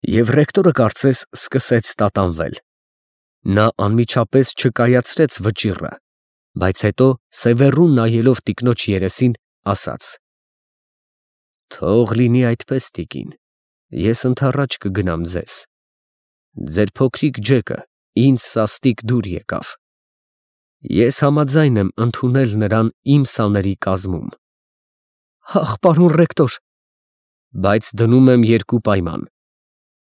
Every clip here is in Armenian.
Եվ ռեկտորը կարծես սկսեց տատանվել. նա անմիջապես չկայացրեց վճիռը, բայց հետո սևեռուն նայելով տիկնոջ երեսին, ասաց. «Թող լինի այդպես, տիկին, ես ընդառաջ կգնամ ձեզ. ձեր փոքրիկ Ջեկը ինձ սաստիկ դուր եկավ. ես համաձայն եմ ընդունել նրան իմ սաների կազմում»։ Ախ, պարոն ռեկտոր, բայց դնում եմ երկու պայման.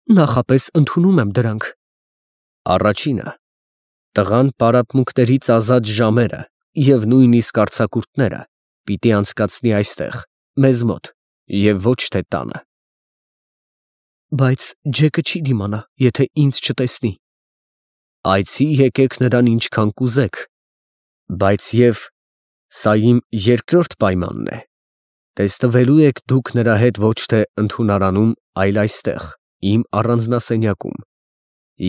նախապես ընդունում եմ դրանք։ Առաջինը, տղան պարապմունքներից ազատ ժամերը և նույնիսկ արձակուրդները պիտի անցկացնի այստեղ, մեզ մոտ, և ոչ թե տանը։ Բայց Ջեկը չի դիմանա, եթե ինձ չտեսնի։ Այցի եկեք նրան ինչքան կուզեք, բայց և սա իմ երկրորդ պայմանն է. տեսնվելու եք դուք նրա հետ ոչ թե ընդունարանում, այլ այստեղ, իմ առանձնասենյակում,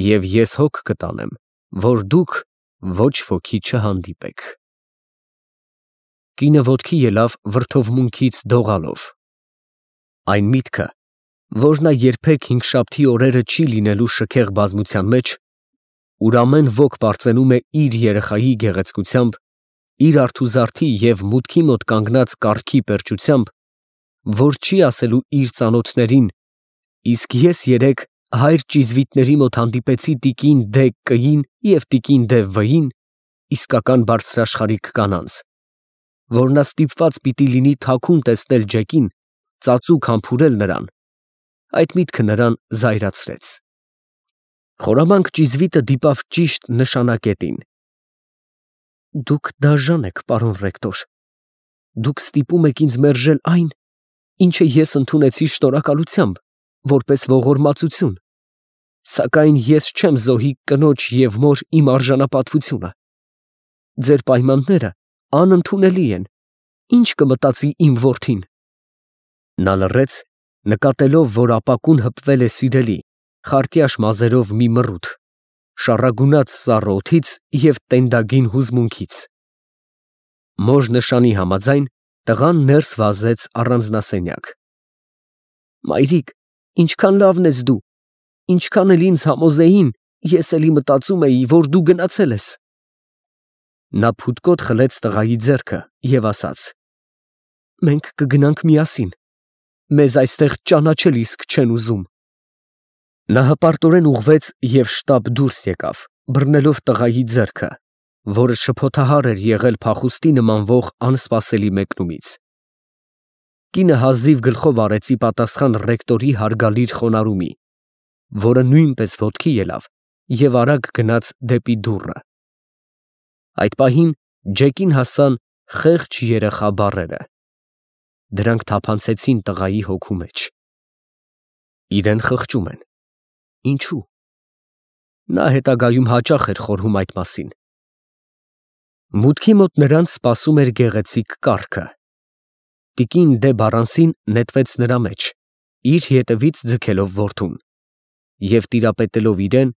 և ես հոգ կտանեմ, որ դուք ոչ ոքի չհանդիպեք։ Կինը ոտքի ելավ վրդովմունքից դողալով։ Այն միտքը, որ նա երբեք հինգշաբթի օրերը չի լինելու շքեղ բազմության մեջ, ուր ամեն ոք պարծենում է իր երեխայի գեղեցկությամբ, իր արթուզարդի և մուտքի մոտ կանգնած կառքի պերճությամբ, որ չի ասելու իր ծանոթներին. իսկ ես երեկ հայր ճիզվիտների մոտ հանդիպեցի տիկին դե Կ-ին և տիկին դե В-ին, իսկական բարձրաշխարհիկ կանանց, որ նա ստիպված պիտի լինի թաքուն տեսնել Ջեկին, ծածուկ համբուրել նրան, այդ միտքը նրան զայրացրեց։ Խորամանկ ճիզվիտը դիպավ ճիշտ նշանակետին։ Դուք դաժան եք, պարոն ռեկտոր։ Դուք ստիպում եք ինձ մերժել այն, ինչը ես ընդունեցի շնորհակալությամբ, որպես ողորմածություն, սակայն ես չեմ զոհի կնոջ և մոր իմ արժանապատվությունը։ Ձեր պայմանները անընդունելի են, ի՞նչ կմտածի իմ որդին։ Նա լռեց, նկատելով, որ ապակուն հպվել է սիրելի, խարտյաշ մազերով մի մռութ, շառագունած սառը օդից և տենդագին հուզմունքից։ Մոր նշանի համաձայն, տղան ներս վազեց առանձնասենյակ։ Մայրիկ, ինչքան լավն ես դու, ինչքան էլ ինձ համոզեին, ես էլի մտածում էի, որ դու գնացել ես։ Նա փութկոտ խլեց տղայի ձեռքը և ասաց. մենք կգնանք միասին, մեզ այստեղ ճանաչել իսկ չեն ուզում։ Նա հպարտորեն ուղղվեց և շտապ դուրս եկավ, բռնելով տղայի ձեռքը, որը շփոթահար էր եղել փախուստի նմանվող անսպասելի մեկնումից։ Կինը հազիվ գլխով արեց ի պատասխան ռեկտորի հարգալից խոնարհումի, որը նույնպես ոտքի ելավ և արագ գնաց դեպի դուռը։ Այդ պահին Ջեկին հասան խեղճ երեխա բառերը. դրանք թափանցեցին տղայի հոգու մեջ։ Իրեն խղճում են։ Ինչու՞։ Նա հետագայում հաճախ էր խորհում այդ մասին։ Մուտքի մոտ նրանց սպասում էր գեղեցիկ կառքը։ Տիկին դե Բարանսին նետվեց նրա մեջ, իր ետևից ձգելով որդուն, և տիրապետելով իրեն,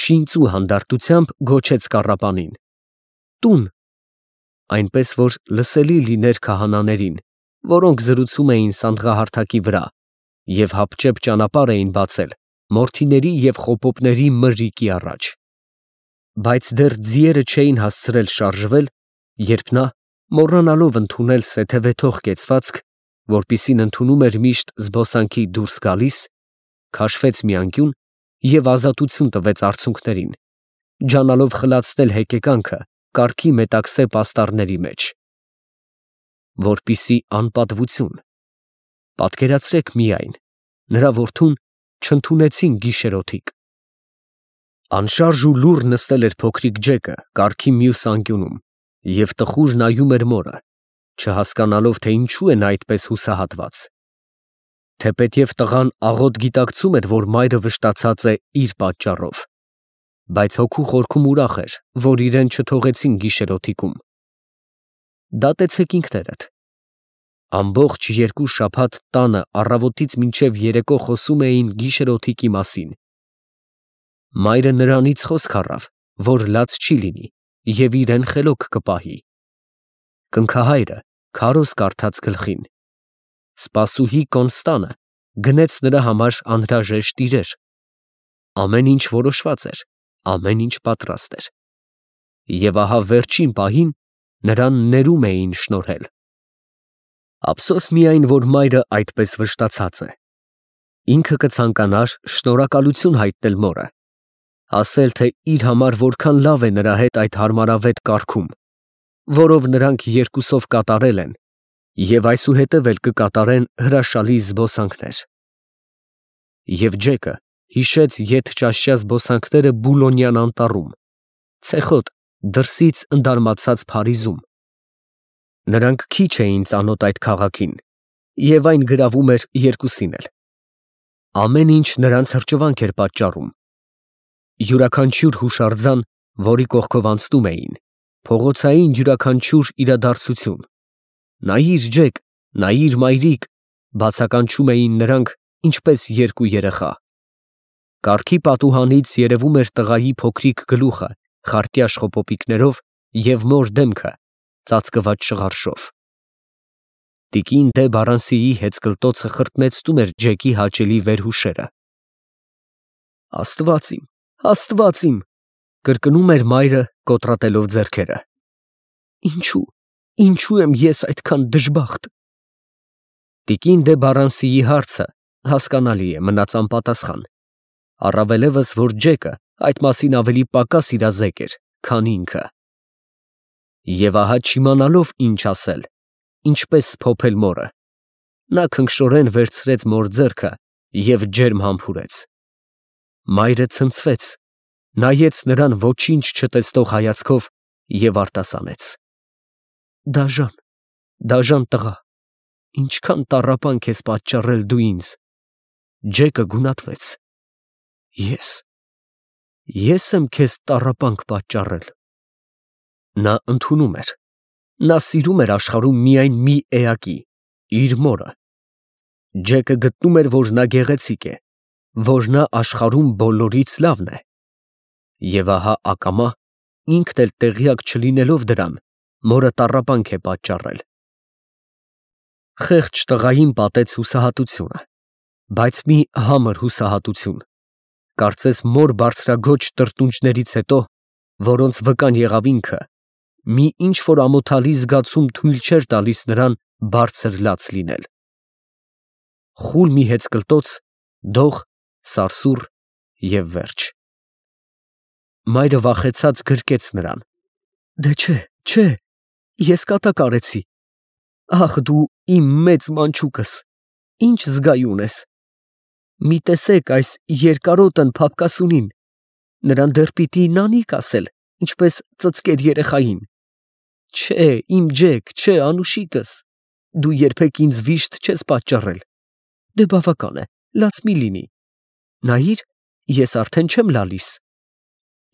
շինծու հանդարտությամբ գոչեց կառապանին. տուն, այնպես որ լսելի լիներ քահանաներին, որոնք զրուցում էին սանդղահարթակի վրա և հապճեպ ճանապարհ էին բացել մորթիների և խոպոպների մրրիկի առաջ։ Բայց դեռ ձիերը չէին հասցրել շարժվել, երբ նա, մոռանալով ընդունել սեթևեթող կեցվածք, որպիսին ընդունում էր միշտ զբոսանքի դուրս գալիս, քաշվեց մի անկյուն և ազատություն տվեց արցունքներին, ջանալով խլացնել հեկեկանքը կառքի մետաքսե պաստառների մեջ։ Որպիսի անպատվություն։ Պատկերացրեք միայն, նրա որդուն չընդունեցին գիշերօթիկ։ Անշարժ ու լուռ նստել էր փոքրիկ Ջեկը կառքի մյուս անկյունում և տխուր նայում էր մորը, չհասկանալով, թե ինչու է նա այդպես հուսահատված։ Թեպետև տղան աղոտ գիտակցում էր, որ մայրը վշտացած է իր պատճառով, բայց հոգու խորքում ուրախ էր, որ իրեն չթողեցին գիշերօթիկում։ Դատեցեք ինքներդ։ Ամբողջ 2 շաբաթ տանը առավոտից մինչև երեկո խոսում էին գիշերօթիկի մասին։ Մայրը նրանից խոսք առավ, որ լաց չի լինի և իրեն խելոք կպահի։ Կնքահայրը քարոզ կարդաց գլխին։ Սպասուհի Կոնստանը գնեց նրա համար անհրաժեշտ իրեր, ամեն ինչ որոշված էր, ամեն ինչ պատրաստ էր։ Եվ ահա վերջին պահին նրան ներում էին շնորհել։ Ափսոս միայն, որ մայրը այդպես վշտացած է։ Ինքը կցանկանար շնորհակալություն հայտնել մորը, ասել, թե իր համար որքան լավ է նրա հետ այդ հարմարավետ կարգում, որով նրանք երկուսով կատարել են և այսուհետև էլ կկատարեն հրաշալի զբոսանքներ։ Եվ Ջեկը հիշեց ետճաշյա զբոսանքները Բուլոնյան անտառում, ցեխոտ դրսից ընդարմացած Փարիզում։ Նրանք քիչ էին ծանոթ այդ քաղաքին, և այն գրավում էր երկուսին էլ։ Ամեն ինչ նրանց հրճվանք էր պատճառում։ Յուրաքանչյուր հուշարձան, որի կողքով անցնում էին, փողոցային յուրաքանչյուր իրադարձություն, նայիր Ջեք, նայիր մայրիկ, բացականչում էին նրանք, ինչպես երկու երեխա։ Կառքի պատուհանից երևում էր տղայի փոքրիկ գլուխը խարտյաշ խոպոպիկներով և մոր դեմքը ծածկված շղարշով։ Տիկին դե Բարանսիի հեծկլտոցը խրտնեցնում էր Ջեկի հաճելի վերհուշերը։ Աստված իմ, կրկնում էր մայրը կոտրատելով ձեռքերը։ Ինչու եմ ես այդքան դժբախտ։ Տիկին դե Բարանսիի հարցը հասկանալի է, մնաց անպատասխան, առավելևս, որ Ջեկը այդ մասին ավելի պակաս իրազեկ էր, քան ինքը։ Եվ ահա չիմանալով ինչ ասել, ինչպես փոփել մորը, նա քնքշորեն վերցրեց մոր ձեռքը և ջերմ համբուրեց։ Մայրը ցնցվեց, նայեց նրան ոչինչ չտեսնող հայացքով և արտասանեց. Դաժան տղա, ինչքան տառապանք ես պատճառել դու ինձ։ Ջեկը գունատվեց. Ես եմ քեզ տառապանք պատճառել։ Նա ընդունում էր, նա սիրում էր աշխարհում միայն մի էակի, իր մորը։ Ջեկը գտնում էր, որ նա գեղեցիկ է, որ նա աշխարհում բոլորից լավն է։ Եվ ահա ակամա, ինքն էլ տեղյակ չլինելով դրան, մորը տառապանք է պատճառել։ Խեղճ տղային պատեց հուսահատությունը, բայց մի համր հուսահատություն, կարծես մոր բարձրագոչ տրտունջներից հետո, որոնց վկան եղավ ինքը, մի ինչ-որ ամոթալի զգացում թույլ չէր տալիս նրան բարձր լաց լինել։ Խուլ մի հեծկլտոց, դող, սարսուռ և վերջ։ Մայրը վախեցած գրկեց նրան. Դե չէ, ես կատակ արեցի։ Ախ դու իմ մեծ մանչուկս, ինչ զգայուն ես։ Մի տեսեք այս երկարոտն փափկասունին, նրան դեռ պիտի նանիք ասել, ինչպես ծծկեր երեխային։ Չէ, իմ Ջեք, չէ, անուշիկս, դու երբեք ինձ վիշտ չես պատճառել։ Դե բավական է, լաց մի լինի։ Նայիր, ես արդեն չեմ լալիս։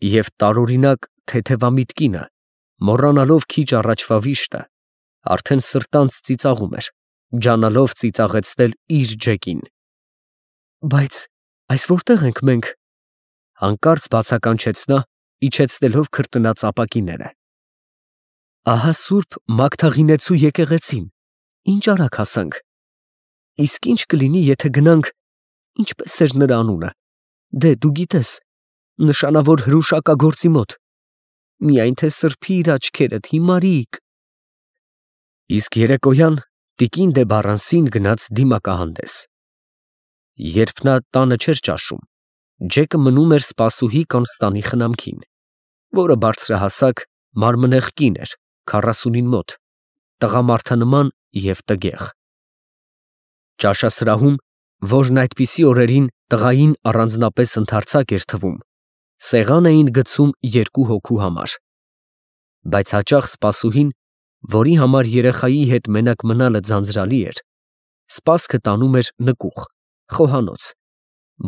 Եվ տարօրինակ թեթևամիտ կինը, մոռանալով քիչ առաջվա վիշտը, արդեն սրտանց ծիծաղում էր, ջանալով ծիծաղեցնել իր Ջեկին։ Բայց այս որտե՞ղ ենք մենք, հանկարծ բացականչեց նա, իջեցնելով քրտնած ապակիները։ Ահա սուրբ Մագդաղինեցու եկեղեցին, ինչ արագ հասանք։ Իսկ ինչ կլինի, եթե գնանք, ինչպես էր նրա անունը, դե դու գիտես, նշանավոր հրուշակագործի մոտ, միայն թե սրբի իր աչքերդ, հիմարիկ։ Իսկ երեկոյան տիկին դե Բարանսին գնաց դիմակահանդես։ Երբ նա տանը չէր ճաշում, Ջեկը մնում էր սպասուհի Կոնստանի խնամքին, որը բարձրահասակ, մարմնեղ կին էր, 40-ին մոտ, տղամարդանման և տգեղ։ Ճաշասրահում, որն այդպիսի օրերին տղային առանձնապես ընդարձակ էր թվում, սեղան էին գցում 2 հոգու համար։ Բայց հաճախ սպասուհին, որի համար երեխայի հետ մենակ մնալը ձանձրալի էր, սպասքը տանում էր նկուղ, խոհանոց,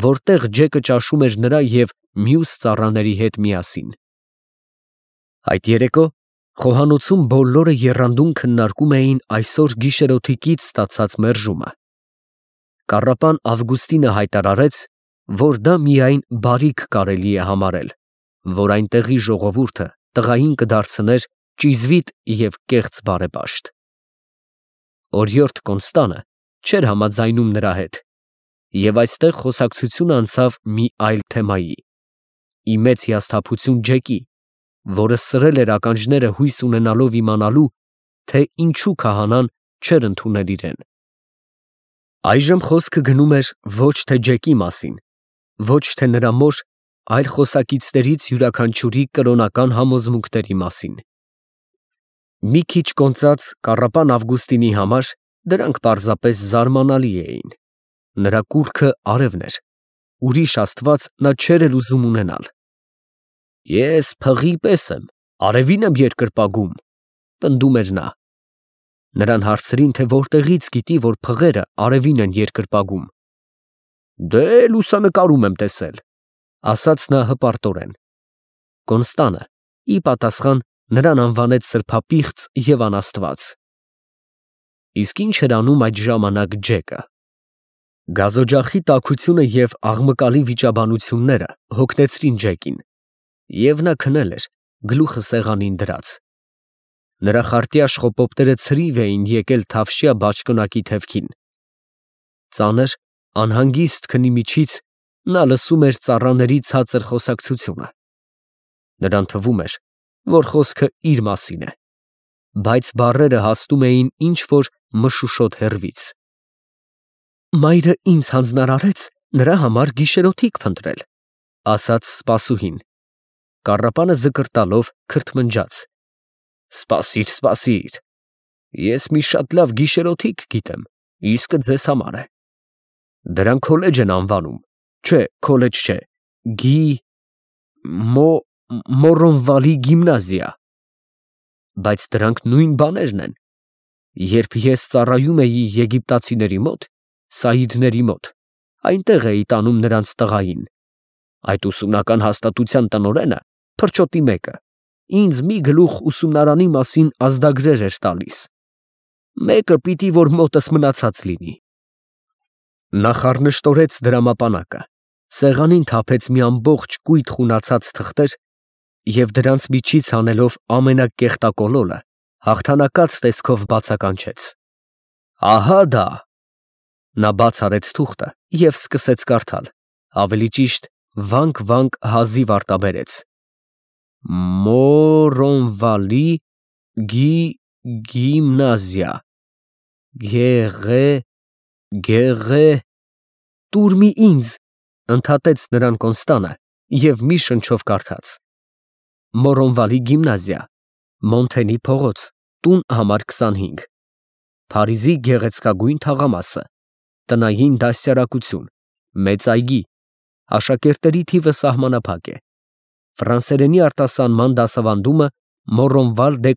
որտեղ Ջեկը ճաշում էր նրա և մյուս ծառաների հետ միասին։ Այդ երեկո խոհանոցում բոլորը եռանդուն քննարկում էին այսօր գիշերօթիկից ստացած մերժումը։ Կառապան Ավգուստինը հայտարարեց, որ դա միայն բարիք կարելի է համարել, որ այնտեղի ժողովուրդը տղային կդարձներ ճիզվիտ և կեղծ բարեպաշտ։ Օրիորդ Կոնստանը չէր համաձայնում նրա հետ Եվ այստեղ խոսակցությունը անցավ մի այլ թեմայի. ի մեծ հիասթափություն Ջեկի, որը սրել էր ականջները հույս ունենալով իմանալու, թե ինչու քահանան չէր ընդունել իրեն։ Այժմ խոսքը գնում էր ոչ թե Ջեկի մասին, ոչ թե նրա մոր, այլ խոսակիցներից յուրաքանչյուրի կրոնական համոզմունքների մասին։ Մի քիչ կոնծած կառապան Ավգուստինի համար դրանք պարզապես զարմանալի էին։ Նրա կուռքը արևն էր, ուրիշ աստված նա չէր էլ ուզում ունենալ։ Ես փղի պես եմ, արևին եմ երկրպագում, պնդում էր նա։ Նրան հարցրին, թե որտեղից գիտի, որ փղերը արևին են երկրպագում։ Դե լուսանկարում եմ տեսել, ասաց նա հպարտորեն։ Կոնստանը ի պատասխան նրան անվանեց սրբապիղծ և անաստված։ Իսկ ինչ էր անում այդ ժամանակ Ջեկը։ Գազօջախի տաքությունը և աղմկալի վիճաբանությունները հոգնեցրին Ջեկին, և նա քնել էր, գլուխը սեղանին դրած։ Նրա խարտյա շխոպոպները ցրիվ էին եկել թավշյա բաճկոնակի թևքին։ Ծանր, անհանգիստ քնի միջից նա լսում էր ծառաների ցածր խոսակցությունը։ Նրան թվում էր, որ խոսքը իր մասին է, բայց բառերը հասնում էին ինչ-որ մշուշոտ հեռվից։ Մայրը ինձ հանձնարարեց նրա համար գիշերօթիկ փնտրել, ասաց սպասուհին։ Կառապանը զկրտալով քրթմնջաց։ Սպասիր, սպասիր, ես մի շատ լավ գիշերօթիկ գիտեմ, իսկը ձեզ համար է։ Դրան քոլեջ են անվանում, չէ, քոլեջ չէ, Մորոնվալի գիմնազիա։ Բայց դրանք նույն բաներն են։ Երբ ես ծառայում էի եգիպտացիների մոտ, սաիդների մոտ, այնտեղ էի տանում նրանց տղային։ Այդ ուսումնական հաստատության տնօրենը, փրչոտի մեկը, ինձ մի գլուխ ուսումնարանի մասին ազդագրեր էր տալիս։ Մեկը պիտի որ մոտս մնացած լինի։ Նա խառնշտորեց դրամապանակը, սեղանին թափեց մի ամբողջ կույտ խունացած թղթեր և դրանց միջից հանելով ամենակեղտակոլոլը, հաղթանակած տեսքով բացականչեց. Ահա դա։ Նա բաց արեց թուղթը և սկսեց կարդալ, ավելի ճիշտ վանք հազիվ արտաբերեց. Մորոնվալի գիմնազիա, տուր մի ինձ, ընդհատեց նրան Կոնստանը և մի շնչով կարդաց. Մորոնվալի գիմնազիա, Մոնթենի փողոց, տուն համար 25, Փարիզի գեղեցկագույն թաղամասը, տնային դաստիարակություն, մեծ այգի, աշակերտների թիվը սահմանափակ է, ֆրանսերենի արտասանման դասավանդումը Մորոնվալ դե